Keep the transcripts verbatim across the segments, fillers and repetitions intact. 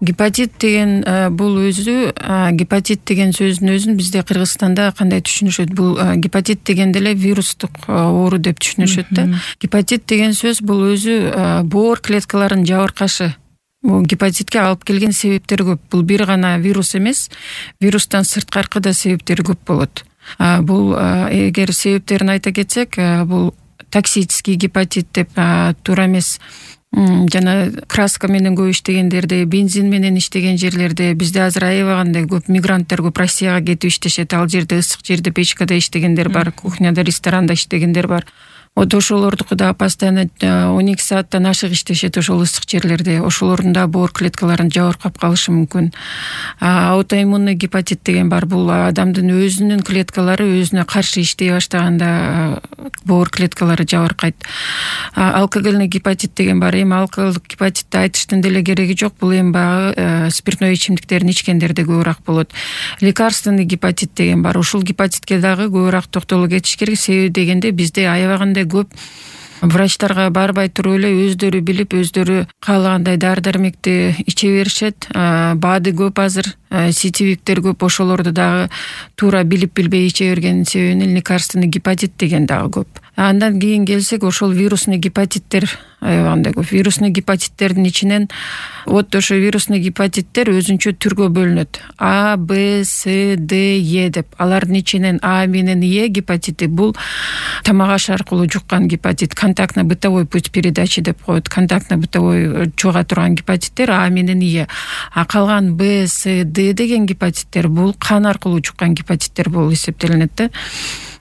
Гепатит деген бул өзү гепатит деген сөздүн өзүн бизде Кыргызстанда кандай түшүнүшөт? Бул гепатит дегенде эле вирустук оору деп түшүнүшөт да. Гепатит деген сөз бул өзү боор клеткаларынын жабыркашы. Бул гепатитке алып келген себептер көп. Бул бир гана вирус эмес, вирустан сырткаркы да себептери көп болот. Бул эгер себептерин айта кетсек, бул токсический гепатит деп туура эмес, жана краска менен көп иштегендерде, бензин менен иштеген жерлерде, бизде азыр аябагандай көп мигранттар көп Россияга кетип иштешет. Ал жерде ысык жерде печкада иштегендер бар, кухняда, ресторанда иштегендер бар. Вот ошолордуку да постоянно он эки сааттан ашык иштешет ошол ысык жерлерде. Ошолордун да боор клеткаларын жабыркап калышы мүмкүн. Аутоиммунный гепатит деген бар. Бул адамдын өзүнүн клеткалары өзүнө каршы иштей баштаганда боор клеткалары жабыркайт. Алкогольный гепатит деген бар. Эми алкоголдук гепатитти айтыштын деле кереги жок. Бул эми баягы спиртной ичимдиктерин ичкендерде көбүрөөк болот. Лекарственный гепатит деген бар. Ушул гепатитке дагы көбүрөөк токтолуп кетиш керек. Себеби дегенде бизде аябагандай көп врачтарга барбай туруп эле өздөрү билип, өздөрү каалагандай дары-дармекти иче беришет. Баады көп азыр, сетевиктер көп, ошолорду дагы туура билип билбей иче бергенин себебинен лекарственный гепатит деген дагы көп. Андан кийин келсек, ошол вирусный гепатиттер аябагандай көп. Вирусный гепатиттердин ичинен вот ошо вирусный гепатиттер өзүнчө түргө бөлүнөт. А, Б, С, Д, Е деп. Алардын ичинен А менен Е гепатити бул тамак аш аркылуу жуккан гепатит, контактно-бытовой путь передачи деп коет. Контактно-бытовой чуга турган гепатиттер А менен Е. А калган Б, С, Д деген гепатиттер бул кан аркылуу жуккан гепатиттер болуп эсептелинет да.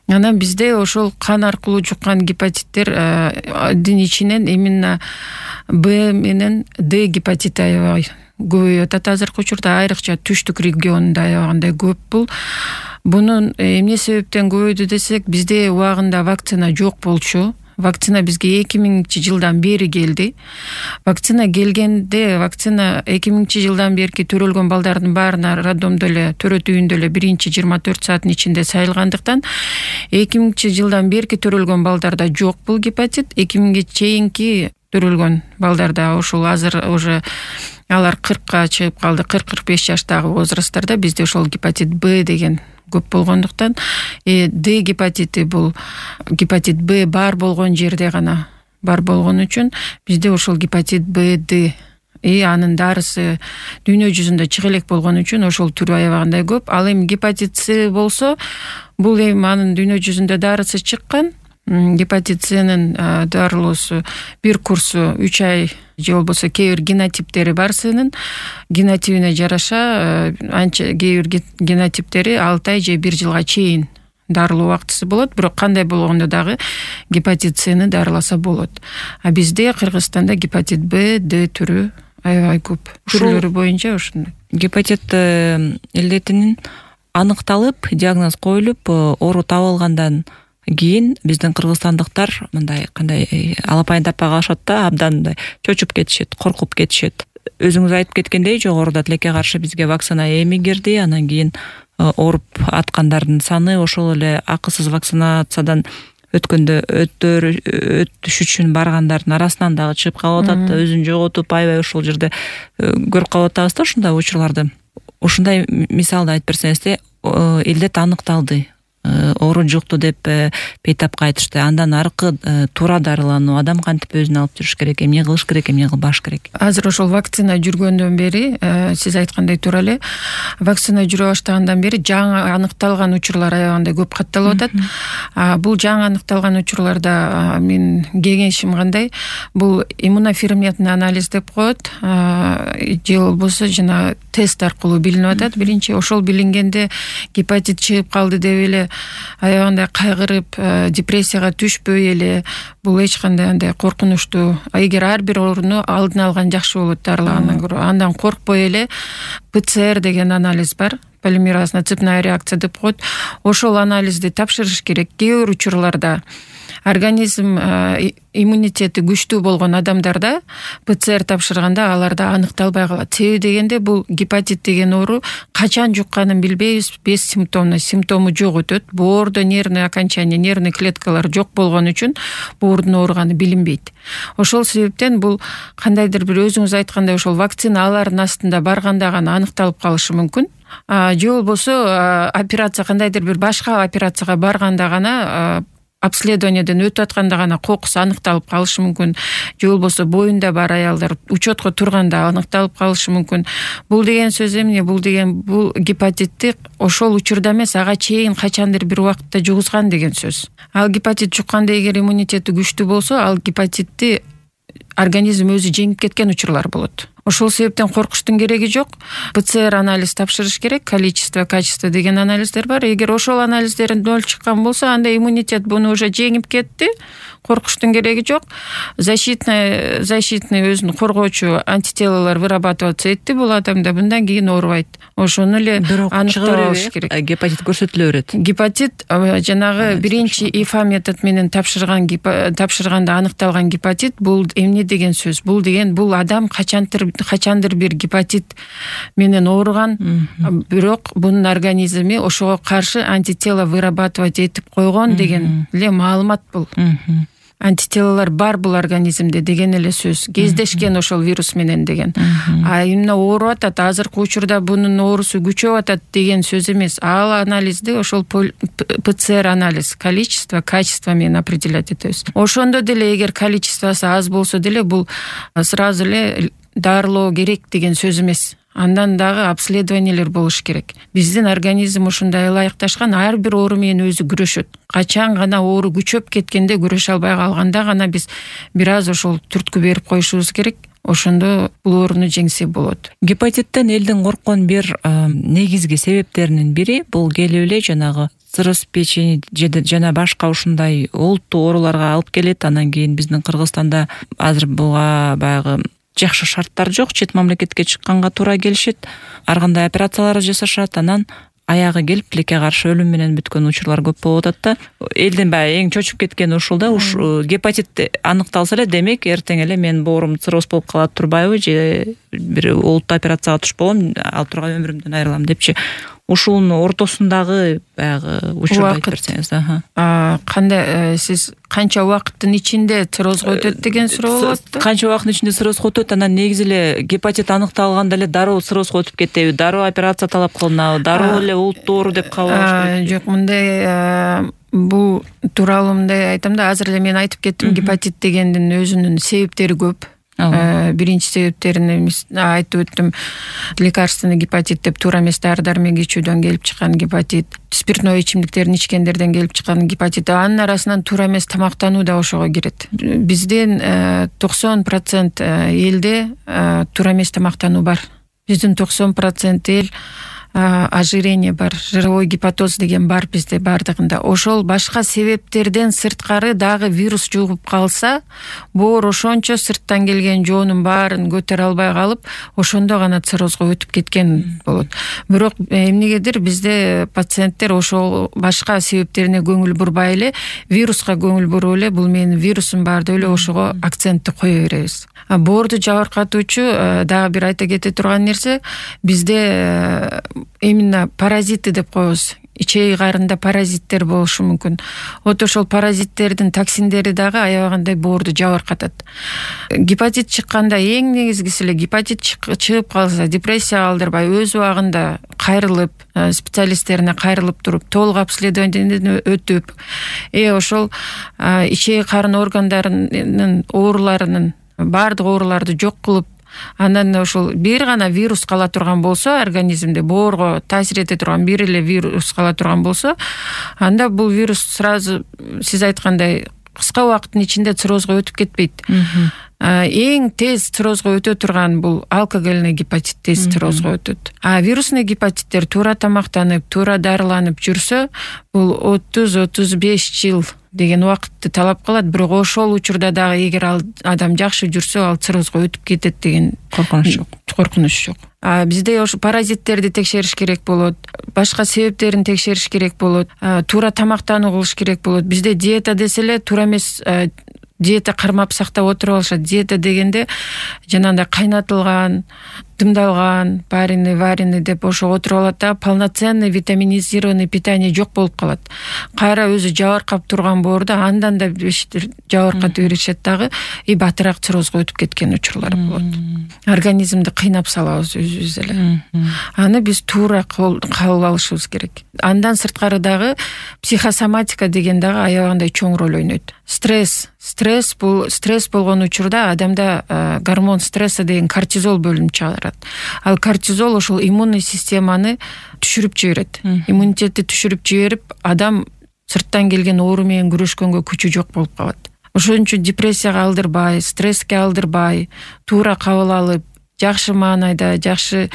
Анан бизде ошол кан аркылуу жуккан гепатиттердин ичинен именно Б менен Д гепатити аябай көбөйүп атат азыркы учурда, айрыкча түштүк регионунда аябагандай көп бул. Бунун эмне себептен көбөйдү десек, бизде убагында вакцина жок болчу. Вакцина бизге эки миңинчи жылдан бери келди. Вакцина келгенде, вакцина эки миңинчи жылдан берки төрөлгөн балдардын баарына роддомдо эле, төрөт үйүндө эле биринчи жыйырма төрт сааттын ичинде сайылгандыктан, эки миңинчи жылдан берки төрөлгөн балдарда жок бул гепатит. эки миңге чейинки төрөлгөн балдарда, ошол азыр уже алар кыркка чыгып калды, кырк кырк беш жаштагы возрасттарда бизде ошол гепатит Б деген көп болгондуктан, э, Д гепатити бул гепатит Б бар болгон жерде гана бар болгон үчүн бизде ошол гепатит Б, Д и анын дарысы дүйнө жүзүндө чыга элек болгон үчүн ошол түрү аябагандай көп. Ал эми гепатит С болсо, бул эми анын дүйнө жүзүндө дарысы чыккан. Гепатит S'нин дарылоосу бир курсу үч ай же болбосо кээ бир генотиптери бар S'нин. Генотипине жараша анча кээ бир генотиптери алты ай же бир жылга чейин дарылоо убактысы болот. Бирок кандай болгондо дагы гепатит S'ни дарыласа болот. А бизде Кыргызстанда гепатит Б, Д түрү аябай көп. Түрлөрү боюнча ушундай. Гепатит илдетинин аныкталып, диагноз коюлуп, оору табылгандан кийин биздин кыргызстандыктар мындай кандай алапайын таппай калышат да, абдан мындай чочуп кетишет, коркуп кетишет. Өзүңүз айтып кеткендей, жогоруда тилекке каршы бизге вакцина эми кирди, анан кийин ооруп аткандардын саны ошол эле акысыз вакцинациядан өткөндө өтүш үчүн баргандардын арасынан дагы чыгып калып атат, өзүн жоготуп аябай ошол жерде көрүп калып атабыз да ушундай учурларды. Ушундай мисалды айтып берсеңизде, илдет аныкталды, оору жукту деп пейтапка айтышты. Андан аркы туура дарылануу, адам кантип өзүн алып жүрүш керек, эмне кылыш керек, эмне кылбаш керек? Азыр ошол вакцина жүргөндөн бери, сиз айткандай туура эле, вакцина жүрө баштагандан бери жаңы аныкталган учурлар аябагандай көп катталып атат. Бул жаңы аныкталган учурларда мен кеңешим кандай? Бул иммуноферментный анализ деп коет, же болбосо жана тест аркылуу билинип атат. Биринчи ошол билингенде гепатит чыгып калды деп эле аябагандай кайгырып, депрессияга түшпөй эле, бул эч кандай андай коркунучтуу. Эгер ар бир ооруну алдын алган жакшы болот дарылагандан көрө. Андан коркпой эле П Ц Р деген анализ бар, полимеразно цепная реакция деп коет. Ошол анализди тапшырыш керек. Кээ бир учурларда организм иммунитети күчтүү болгон адамдарда ПЦР тапшырганда аларда аныкталбай калат. Себеби дегенде бул гепатит деген оору качан жукканын билбейбиз, без симптомно, симптому жок өтөт. Боордо нервный окончание, нервный клеткалар жок болгон үчүн боордун ооруганы билинбейт. Ошол себептен бул кандайдыр бир өзүңүз айткандай ошол вакциналардын астында барганда гана аныкталып калышы мүмкүн. Же болбосо операция кандайдыр бир башка операцияга барганда гана обследованиеден өтүп атканда гана кокусу аныкталып калышы мүмкүн. Же болбосо боюнда бар аялдар учетко турганда аныкталып калышы мүмкүн. Бул деген сөз эмне? Бул деген бул гепатитти ошол учурда эмес, ага чейин качандыр бир убакытта жугузган деген сөз. Ал гепатит жукканда эгер иммунитети күчтүү болсо, ал гепатитти организм өзү жеңип кеткен учурлар болот. Ошол себептен коркуштун кереги жок. ПЦР анализ тапшырыш керек, количество, качество деген анализдер бар. Эгер ошол анализдерин ноль чыккан болсо, анда иммунитет буну уже жеңип кетти. Коркуштун кереги жок. Защитный защитный өзүн коргоочу антителалар вырабатываться этти бул адамда, мындан кийин оорубайт. Ошону эле аныкталыш керек. Гепатит көрсөтүлө берет. Гепатит жанагы биринчи ИФА метод менен тапшырган тапшырганда аныкталган гепатит бул эмне деген сөз? Бул деген бул адам качантыр качандыр бир гепатит менен ооруган, бирок бунун организми ошого каршы антитела вырабатывать этип койгон деген эле маалымат бул. Антителалар бар бул организмде деген эле сөз. Кездешкен ошол вирус менен деген. А именно ооруп атат, азыркы учурда бунун оорусу күчөп атат деген сөз эмес. Ал анализди ошол ПЦР анализ, количество, качество менен определять этебиз. Ошондо деле эгер количествосы аз болсо деле бул сразу эле дарылоо керек деген сөз эмес. Андан дагы обследованиелер болуш керек. Биздин организм ушундай ылайыкташкан, ар бир оору менен өзү күрөшөт. Качан гана оору күчөп кеткенде, күрөшө албай калганда гана биз бир аз ошол түрткү берип коюшубуз керек. Ошондо бул ооруну жеңсе болот. Гепатиттен элдин корккон бир негизги себептеринин бири бул келип эле жанагы цирроз печени жана башка ушундай олуттуу ооруларга алып келет. Анан кийин биздин Кыргызстанда азыр буга баягы жакшы шарттар жок, чет мамлекетке чыкканга туура келишет, ар кандай операциялар жасашат, анан аягы келип тилекке каршы өлүм менен бүткөн учурлар көп болуп атат да. Элдин баягы эң чочуп кеткени ушул да, уш гепатит аныкталса эле, демек эртең эле менин боорум цирроз болуп калат турбайбы, же бир олуттуу операцияга туш болом, ал тургай өмүрүмдөн айрылам депчи. Ушунун ортосундагы баягы учурду айтып берсеңиз. Аха. Кандай сиз канча убакыттын ичинде циррозго өтөт деген суроо болот. Канча убакыттын ичинде циррозго өтөт, анан негизи эле гепатит аныкталганда эле дароо циррозго өтүп кетеби, дароо операция талап кылынабы, дароо эле олуттуу оору деп кабыл алыш керек? Жок, мындай бул тууралуу мындай айтам да, азыр эле мен айтып кеттим, гепатит дегендин өзүнүн себептери көп. Биринчи себептерин айтып өттүм. Лекарственный гепатит деп, туура эмес дары дармек ичүүдөн келип чыккан гепатит, спиртной ичимдиктерин ичкендерден келип чыккан гепатит, анын арасынан туура эмес тамактануу да ошого кирет. Биздин токсон процент элде туура эмес тамактануу бар. Биздин токсон процент эл ожирение бар, жировой гепатоз деген бар бизде бардыгында. Ошол башка себептерден сырткары дагы вирус жугуп калса, боор ошончо сырттан келген жоонун баарын көтөрө албай калып, ошондо гана циррозго өтүп кеткен болот. Бирок эмнегедир бизде пациенттер ошол башка себептерине көңүл бурбай эле, вируска көңүл буруп эле, бул менин вирусум бар деп эле ошого акцентти кое беребиз. Боорду жабыркатуучу дагы бир айта кете турган нерсе, бизде именно паразиты деп коебуз. Ичеги карында паразиттер болушу мүмкүн. Вот ошол паразиттердин токсиндери дагы аябагандай боорду жабыркатат. Гепатит чыкканда эң негизгиси эле гепатит чыгып калса, депрессия алдырбай өз убагында кайрылып, специалисттерине кайрылып туруп, толук обследованиеден өтүп, э ошол ичеги карын органдарынын ооруларынын баардык ооруларды жок кылып, андан ошол бир гана вирус кала турган болсо, организмде боорго таасир эте турган бир эле вирус кала турган болсо, анда бул вирус сразу сиз айткандай кыска убакыттын ичинде циррозго өтүп кетпейт. эң тез циррозго өтө турган бул алкогольный гепатит тез циррозго өтөт. А вирусный гепатиттер туура тамактанып, туура дарыланып жүрсө, бул отуз отуз беш жыл деген убакытты талап кылат, бирок ошол учурда дагы эгер ал адам жакшы жүрсө, ал циррозго өтүп кетет деген коркунуч жок. Коркунуч жок. А бизде ошо паразиттерди текшериш керек болот, башка себептерин текшериш керек болот, туура тамактануу кылыш керек болот. Бизде диета десе эле туура эмес диета кармап сактап отуруп алышат. Диета дегенде жанагындай кайнатылган, дымдалган, пареный, вареный деп ошо отуруп алат да, полноценный витаминизированный питание жок болуп калат. Кайра өзү жабыркап турган боорду андан да жабыркатып беришет дагы, и батыраак циррозго өтүп кеткен учурлар болот. Организмди кыйнап салабыз өзүбүз эле. Аны биз туура кабыл алышыбыз керек. Андан сырткары дагы психосоматика деген дагы аябагандай чоң роль ойнойт. Стресс, стресс бул стресс болгон учурда адамда гормон стресса деген кортизол бөлүнүп чыгарат. Ал кортизол ошол иммунный системаны түшүрүп жиберет. Иммунитетти түшүрүп жиберип, адам сырттан келген оору менен күрөшкөнгө күчү жок болуп калат. Ошон үчүн депрессияга алдырбай, стресске алдырбай, туура кабыл алып, жакшы маанайда, жакшы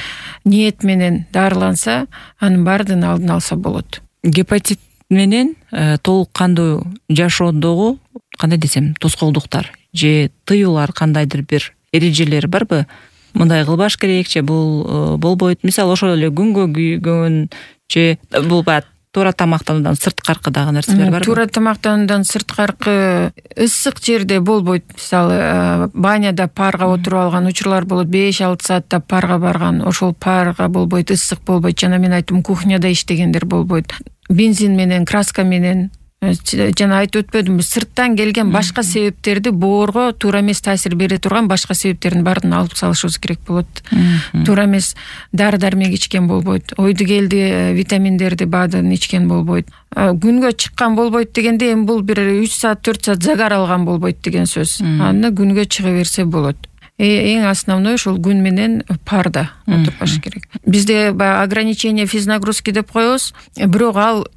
ниет менен дарыланса, анын баардыгын алдын алса болот. Гепатит менен толук кандуу жашоодогу кандай десем, тоскоолдуктар же тыюулар кандайдыр бир эрежелери барбы? Мындай кылбаш керек же бул болбойт. Мисалы ошол эле күнгө күйгөн же бул баягы туура тамактануудан сырткаркы дагы нерселер барбы? Туура тамактануудан сырткаркы ысык жерде болбойт. Мисалы баняда парга отуруп алган учурлар болот. беш алты саатта парга барган, ошол парга болбойт, ысык болбойт. Жана мен айттым, кухняда иштегендер болбойт. Бензин менен, краска менен, жана айтып өтпөдүмбү, сырттан келген башка себептерди боорго туура эмес таасир бере турган башка себептердин баарын алып салышыбыз керек болот. Туура эмес дары дармек ичкен болбойт, ойду келди витаминдерди баадын ичкен болбойт. Күнгө чыккан болбойт дегенде эми бул бир үч саат төрт саат загар алган болбойт деген сөз. Аны күнгө чыга берсе болот. Эң основной ошол күн менен парда отурбаш керек. Бизде баягы ограничение физнагрузки деп коебуз, бирок ал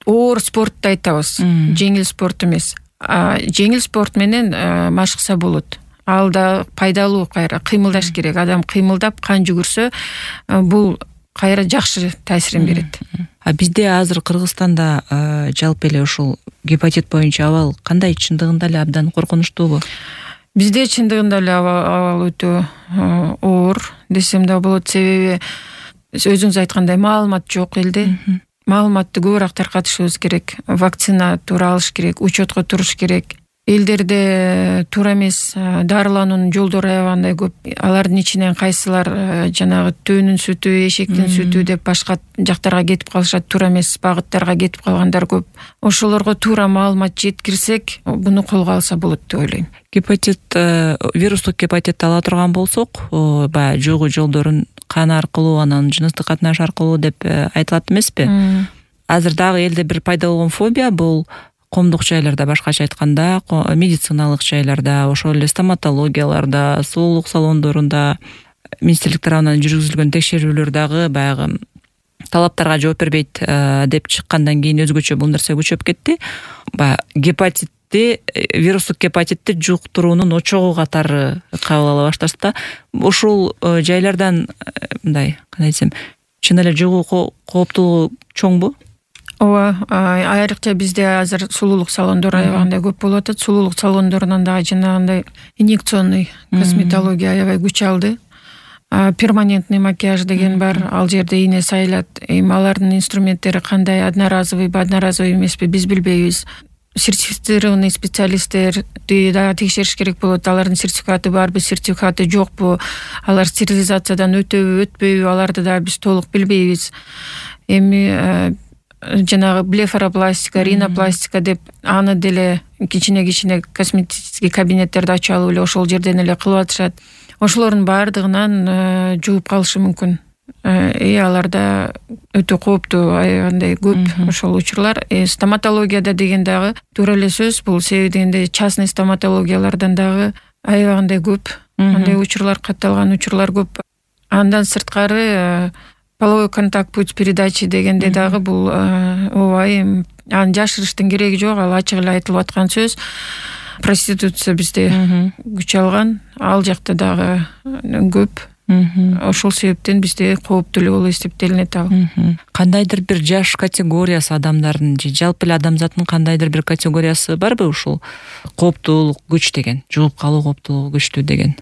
оор спортты айтабыз, жеңил спорт эмес. Жеңил спорт менен машыкса болот. Ал да пайдалуу, кайра кыймылдаш керек. Адам кыймылдап, кан жүгүрсө, бул кайра жакшы таасирин берет. А бизде азыр Кыргызстанда жалпы эле ушул гепатит боюнча абал кандай, чындыгында эле абдан коркунучтуубу? Бизде чындыгында эле абал өтө оор десем да болот, себеби өзүңүз айткандай маалымат жок элде. Маалыматты көбүрөөк таркатышыбыз керек. Вакцина туура алыш керек, учетко туруш керек. Элдерде туура эмес дарылануунун жолдору аябагандай көп. Алардын ичинен кайсылар жанагы төөнүн сүтү, эшектин сүтү деп башка жактарга кетип калышат, туура эмес багыттарга кетип калгандар көп. Ошолорго туура маалымат жеткирсек, буну колго алса болот деп ойлойм. Гепатит, вирустук гепатитти ала турган болсок, баягы жугуу жолдорун кан аркылуу, анан жыныстык катнаш аркылуу деп айтылат эмеспи? Азыр дагы элде бир пайда болгон фобия бул коомдук жайларда, башкача айтканда, медициналык жайларда, ошол эле стоматологияларда, сулуулук салондорунда министрлик тарабынан жүргүзүлгөн текшерүүлөр дагы баягы талаптарга жооп бербейт деп чыккандан кийин өзгөчө бул нерсе күчөп кетти. Баягы гепатитти, вирустук гепатитти жуктуруунун очогу катары кабыл ала башташта, ушул жайлардан мындай, кандай десем, чын эле жугуу кооптуулугу чоңбу? Ооба, айрыкча бизде азыр сулуулук салондору аябагандай көп болуп атат. Сулуулук салондорунан дагы жанагындай инъекционный косметология аябай күч алды. Перманентный макияж деген бар, ал жерде ийне сайылат. Эми алардын инструменттери кандай, одноразовыйбы, одноразовый эмеспи, биз билбейбиз. Сертифицированный специалисттерди да текшериш керек болот. Алардын сертификаты барбы, сертификаты жокпу, алар стерилизациядан өтөбү, өтпөйбү, аларды да биз толук билбейбиз. Эми жанагы блефаропластика, ринопластика деп аны деле кичине-кичине косметический кабинеттерди ачып алып эле ошол жерден эле кылып атышат. Ошолордун баардыгынан жугуп калышы мүмкүн. И аларда өтө кооптуу, аябагандай көп ошол учурлар. Стоматологияда деген дагы туура эле сөз, бул себеби дегенде частный стоматологиялардан дагы аябагандай көп. Андай учурлар, катталган учурлар көп. Андан сырткары половой контакт, путь передачи дегенде дагы бул ооба, аны жашырыштын кереги жок, ал ачык эле айтылып аткан сөз. проституция бизде күч алган, ал жакта дагы көп. Ошол себептен бизде кооптуу болуп эсептелинет ал. Кандайдыр бир жаш категориясы адамдардын же жалпы эле адамзаттын кандайдыр бир категориясы барбы ушул кооптуулук күч деген, жугуп калуу кооптуулугу күчтүү деген?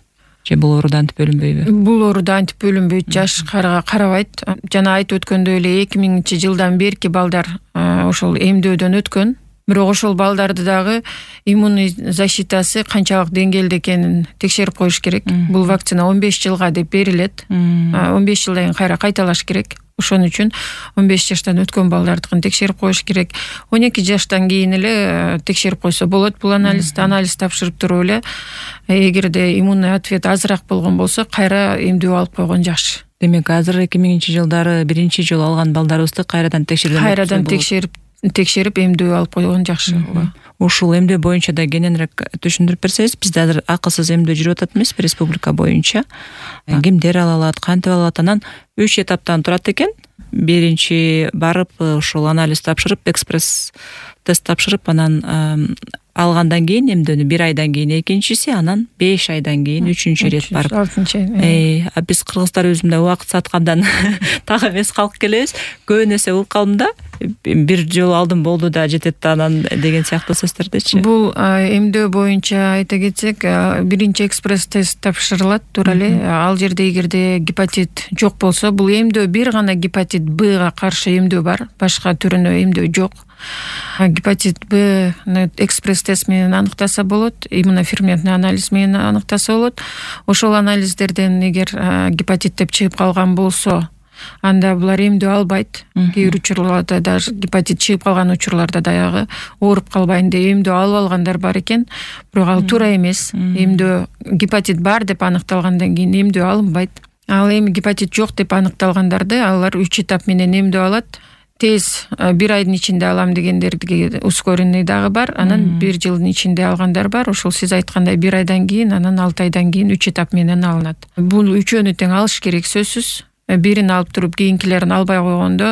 Же бул ооруда антип бөлүнбөйбү? Бул ооруда антип бөлүнбөйт, жашка карабайт. Жана айтып өткөндөй эле эки миңинчи жылдан берки балдар ошол эмдөөдөн өткөн. Бирок ошол балдарды дагы иммунный защитасы канчалык деңгээлде экенин текшерип коюш керек. Бул вакцина он беш жылга деп берилет. он беш жылдан кийин кайра кайталаш керек. Ошон үчүн он беш жаштан өткөн балдардыкын текшерип коюш керек. он эки жаштан кийин эле текшерип койсо болот бул анализди. Анализ тапшырып туруп эле эгерде иммунный ответ азыраак болгон болсо кайра эмдөө алып койгон жакшы. Демек азыр эки миңинчи жылдары биринчи жолу алган балдарыбызды кайрадан текшерген кайрадан текшерип текшерип эмдөө алып койгон жакшы. Ушул эмдөө боюнча да кененирээк түшүндүрүп берсеңиз, бизде азыр акысыз эмдөө жүрүп атат эмеспи республика боюнча? Кимдер ала алат, кантип ала алат? Анан үч этаптан турат экен. Биринчи барып ушул анализ тапшырып, экспресс тест тапшырып, анан алгандан кийин эмдөөнү бир айдан кийин экинчиси, анан беш айдан кийин үчүнчү ирет барып. алтынчы ай. Э, биз кыргыздарыбыз мындай убакыт саткандан так эмес калып келебиз. Көбүн эсе укалым да, бир жолу алдым болду да жетет да анан деген сыяктуу сөздөрдөчү. Бул эмдөө боюнча айта кетсек, биринчи экспресс тест тапшырылат тура эле. Ал жерде эгерде гепатит жок болсо, бул эмдөө бир гана гепатит Б-га каршы эмдөө бар, башка түрүнө эмдөө жок. Гепатит Б экспресс тест менен аныктаса болот, иммуноферментный анализ менен аныктаса болот. Ошол анализдерден эгер гепатит деп чыгып калган болсо, анда булар эмдөө албайт. Кээ бир учурларда даже гепатит чыгып калган учурларда дагы ооруп калбайын деп эмдөө алып алгандар бар экен. Бирок ал туура эмес. Эмдөө гепатит бар деп аныкталгандан кийин эмдөө алынбайт. Ал эми гепатит жок деп аныкталгандарды алар үч этап менен эмдөө алат. Тез бир айдын ичинде алам дегендерге ускоренный дагы бар. Анан бир жылдын ичинде алгандар бар. Ошол сиз айткандай бир айдан кийин, анан алты айдан кийин үч этап менен алынат. Бул үчөөнү тең алыш керек сөзсүз. Бирин алып туруп кийинкилерин албай койгондо,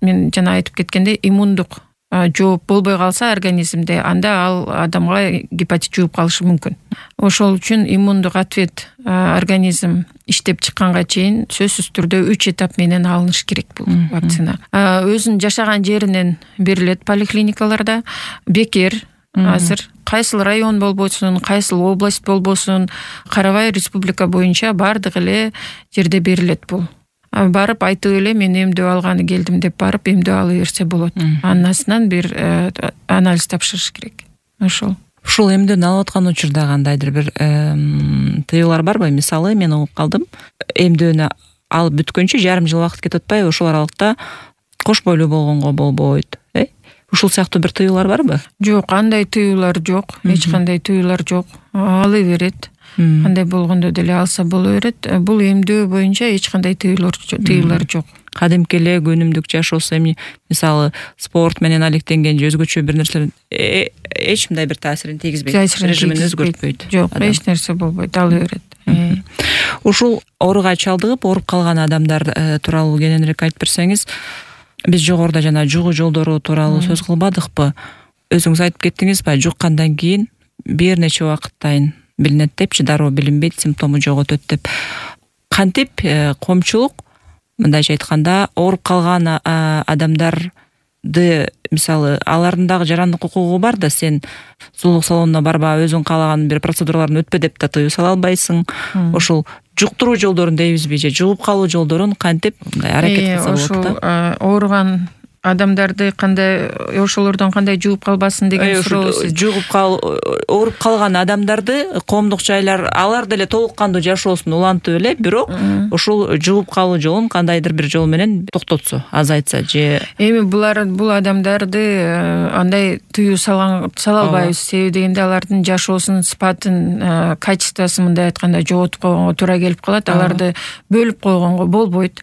мен жана айтып кеткендей, иммундук жооп болбой калса организмде, анда ал адамга гепатит жугуп калышы мүмкүн. Ошол үчүн иммундук ответ организм иштеп чыкканга чейин сөзсүз түрдө үч этап менен алыныш керек бул вакцина. Өзүнүн жашаган жеринен берилет поликлиникаларда. Бекер азыр кайсыл район болбосун, кайсыл область болбосун, карабай республика боюнча бардык эле жерде берилет бул. Барып айтып эле мен эмдөө алганы келдим деп барып эмдөө ала берсе болот. Андан астынан бир анализ тапшырыш керек. Ошол. Ушул эмдөөнү алып аткан учурда кандайдыр бир тыюулар барбы? Мисалы, мен угуп калдым, эмдөөнү алып бүткөнчө жарым жыл убакыт кетип атпайбы? Ошол аралыкта кош бойлуу болгонго болбойт. Э? Ушул сыяктуу бир тыюулар барбы? Жок, андай тыюулар жок. Эч кандай тыюулар жок. Ала берет. Кандай болгондо деле алса боло берет. Бул эмдөө боюнча эч кандай тыюулар тыюулар жок. Кадимки эле күнүмдүк жашоосу эми мисалы спорт менен алектенген же өзгөчө бир нерселер эч мындай бир таасирин тийгизбейт. Режимин өзгөртпөйт. Жок, эч нерсе болбойт, ала берет. Ушул ооруга чалдыгып ооруп калган адамдар тууралуу кененирээк айтып берсеңиз, биз жогоруда жана жугуу жолдору тууралуу сөз кылбадыкпы? Өзүңүз айтып кеттиңизби, жуккандан кийин бир нече убакыттан билинет депчи, дароо билинбейт, симптому жок өтөт деп. Кантип коомчулук, мындайча айтканда, ооруп калган адамдарды, мисалы, алардын дагы жарандык укугу бар да, сен сулуулук салонуна барба, өзүң каалаган бир процедураларын өтпө деп да тыюу сала албайсың. Ошол жуктуруу жолдорун дейбизби же жугуп калуу жолдорун кантип аракет кылса болот да? Ошол ооруган адамдарды кандай, ошолордон кандай жугуп калбасын деген суроо. Жугуп кал, ооруп калган адамдарды коомдук жайлар алар деле толук кандуу жашоосун улантып эле, бирок ушул жугуп калуу жолун кандайдыр бир жол менен токтотсо, азайтса же. Эми булар бул адамдарды андай тыюу сала албайбыз. Себеби дегенде алардын жашоосунун сапатын, качествосын мындай айтканда жоготуп койгонго туура келип калат. Аларды бөлүп койгонго болбойт.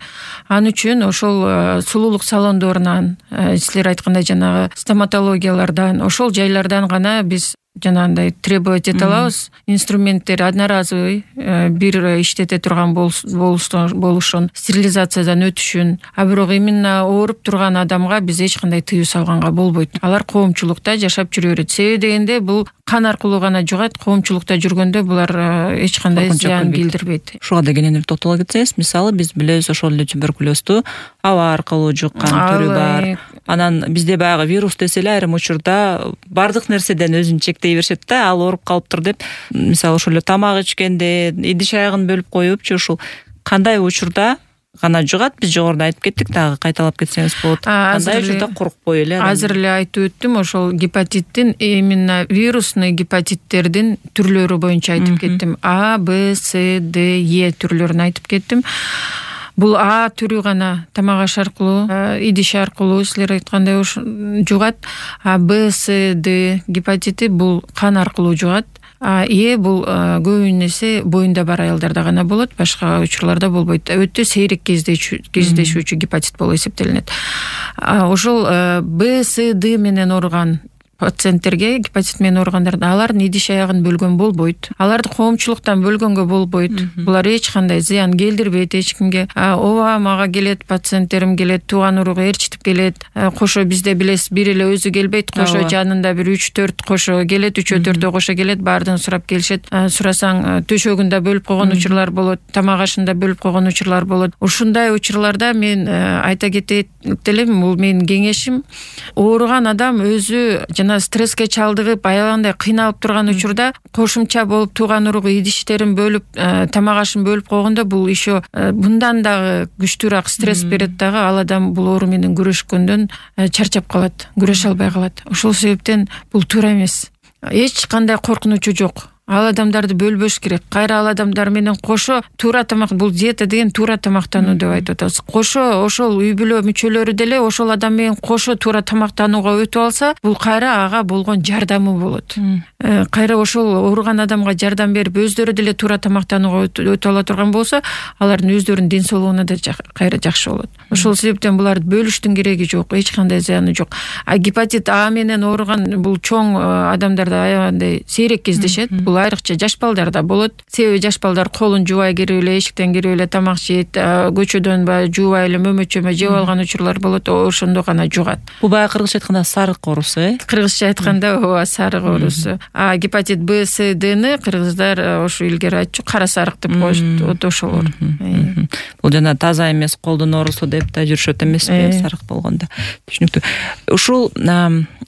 Ал үчүн ошол сулуулук салондорунан, силер айткандай жанагы стоматологиялардан, ошол жайлардан гана биз жанагындай требовать эте алабыз. Инструменттер одноразовый бир иштете турган болушун, стерилизациядан өтүшүн, а бирок именно ооруп турган адамга биз эч кандай тыюу салганга болбойт. Алар коомчулукта жашап жүрө берет. Себеби дегенде бул кан аркылуу гана жугат, коомчулукта жүргөндө булар эч кандай зыян келтирбейт. Ушуга да кененир токтоло кетсеңиз, мисалы биз билебиз ошол эле туберкулезду аба аркылуу жуккан түрү бар. Анан бизде баягы вирус десе эле айрым учурда бардык нерседен өзүн чектей беришет да, ал ооруп калыптыр деп. Мисалы ошол эле тамак ичкенде идиш аягын бөлүп коюпчу, ушул кандай учурда гана жугат? Биз жогоруда айтып кеттик, дагы кайталап кетсеңиз болот. Кандай учурда коркпой эле? Азыр эле айтып өттүм, ошол гепатиттин, именно вирусный гепатиттердин түрлөрү боюнча айтып кеттим. А, Б, С, Д, Е түрлөрүн айтып кеттим. Бул А түрү гана тамак аш аркылуу, идиш аркылуу силер айткандай жугат. А Б, С, Д гепатити бул кан аркылуу жугат. А Е бул көбүн эсе боюнда бар аялдарда гана болот, башка учурларда болбойт. Өтө сейрек кездешүүчү гепатит болуп эсептелинет. Ошол Б, С, Д менен ооруган пациенттерге, гепатит менен ооругандарда алардын идиш аягын бөлгөн болбойт. Аларды коомчулуктан бөлгөнгө болбойт. Булар эч кандай зыян келтирбейт эч кимге. Ооба мага келет, пациенттерим келет, тууган уругу ээрчитип келет. Кошо бизде билесиз, бир эле өзү келбейт, кошо жанында бир үч төрт кошо келет, үчөө төртөө кошо келет, баардыгын сурап келишет. Сурасаң төшөгүндө бөлүп койгон учурлар болот, тамак ашында бөлүп койгон учурлар болот. Ушундай учурларда мен айта кетет элем, бул менин кеңешим, ооруган адам өзү жана стресске чалдыгып, аябагандай кыйналып турган учурда кошумча болуп тууган уругу идиштерин бөлүп, тамак ашын бөлүп койгондо бул еще мындан дагы күчтүүрөөк стресс берет дагы. Ал адам бул оору менен күрөшкөндөн чарчап калат, күрөшө албай калат. Ошол себептен бул туура эмес. Эч кандай коркунучу жок. Ал адамдарды бөлбөш керек. Кайра ал адамдар менен кошо туура тамак, бул диета деген туура тамактануу деп айтып атабыз. Кошо ошол үй бүлө мүчөлөрү деле ошол адам менен кошо туура тамактанууга өтүп алса, бул кайра ага болгон жардамы болот. Кайра ошол ооруган адамга жардам берип, өздөрү деле туура тамактанууга өтүп ала турган болсо, алардын өздөрүнүн ден соолугуна да кайра жакшы болот. Ошол себептен буларды бөлүштүн кереги жок, эч кандай зыяны жок. А гепатит А менен ооруган бул чоң адамдарда аябагандай сейрек кездешет. Айрыкча жаш балдарда болот. Себеби жаш балдар колун жуубай кирип эле, эшиктен кирип эле тамак жейт, көчөдөн баягы жуубай эле мөмөчөмө жеп алган учурлар болот, ошондо гана жугат. Бул баягы кыргызча айтканда сарык оорусу, э? Кыргызча айтканда ооба сарык оорусу. А гепатит Б, С, Дны кыргыздар ошо илгери айтчу кара сарык деп коюшат, ошол оору. Бул жана таза эмес колдун оорусу деп да жүрүшөт эмеспи, сарык болгондо. Түшүнүктүү. Ушул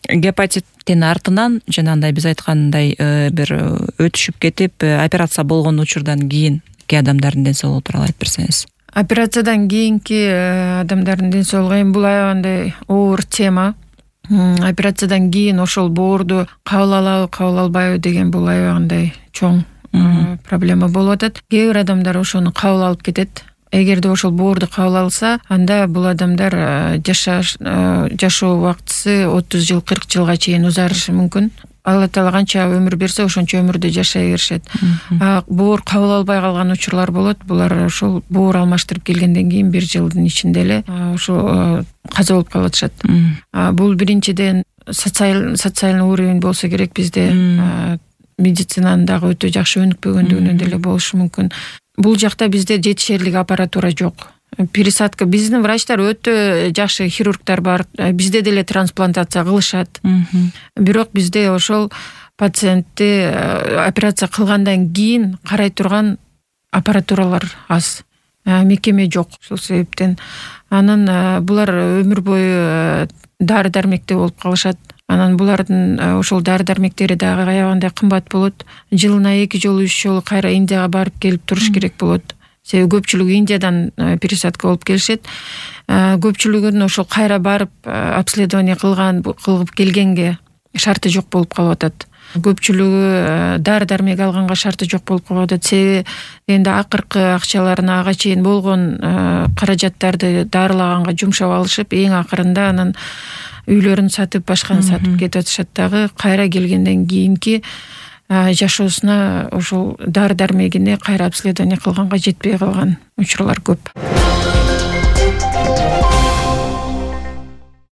гепатиттин артынан жанагындай биз айткандай бир өтүшүп кетип, операция болгон учурдан кийин кээ адамдардын ден соолугу тууралуу айтып берсеңиз. Операциядан кийинки адамдардын ден соолугу эми бул аябагандай оор тема. Операциядан кийин ошол боорду кабыл алабы, кабыл албайбы деген бул аябагандай чоң проблема болуп атат. Кээ бир адамдар ошону кабыл алып кетет. Эгерде ошол боорду кабыл алса, анда бул адамдар жашаш жашоо убактысы отуз жыл, кырк жылга чейин узарышы мүмкүн. Алла Таала канча өмүр берсе, ошончо өмүрдө жашай беришет. А боор кабыл албай калган учурлар болот. Булар ошол боор алмаштырып келгенден кийин бир жылдын ичинде эле ошо каза болуп калып атышат. Бул биринчиден социальный уровень болсо керек бизде. Медицинанын дагы өтө жакшы өнүкпөгөндүгүнөн деле болушу мүмкүн. Бул жакта бизде жетишерлик аппаратура жок. Пересадка, биздин врачтар өтө жакшы хирургдар бар. Бизде деле трансплантация кылышат. Бирок бизде ошол пациентти операция кылгандан кийин карай турган аппаратуралар аз. Мекеме жок. Ошол себептен анан булар өмүр бою дары дармекте болуп калышат. Анан булардын ошол дары дармектери дагы аябагандай кымбат болот. Жылына эки жолу, үч жолу кайра Индияга барып келип туруш керек болот. Себеби көпчүлүгү Индиядан пересадка болуп келишет. Көпчүлүгүнүн ошол кайра барып обследование кылган, кылып келгенге шарты жок болуп калып атат. Көпчүлүгү дары дармек алганга шарты жок болуп калып атат. Себеби энди акыркы акчаларына ага чейин болгон каражаттарды дарылаганга жумшап алышып, эң акырында анан үйлөрүн сатып, башканы сатып кетип атышат дагы. Кайра келгенден кийинки жашоосуна ошол дары дармегине кайра обследование кылганга жетпей калган учурлар көп.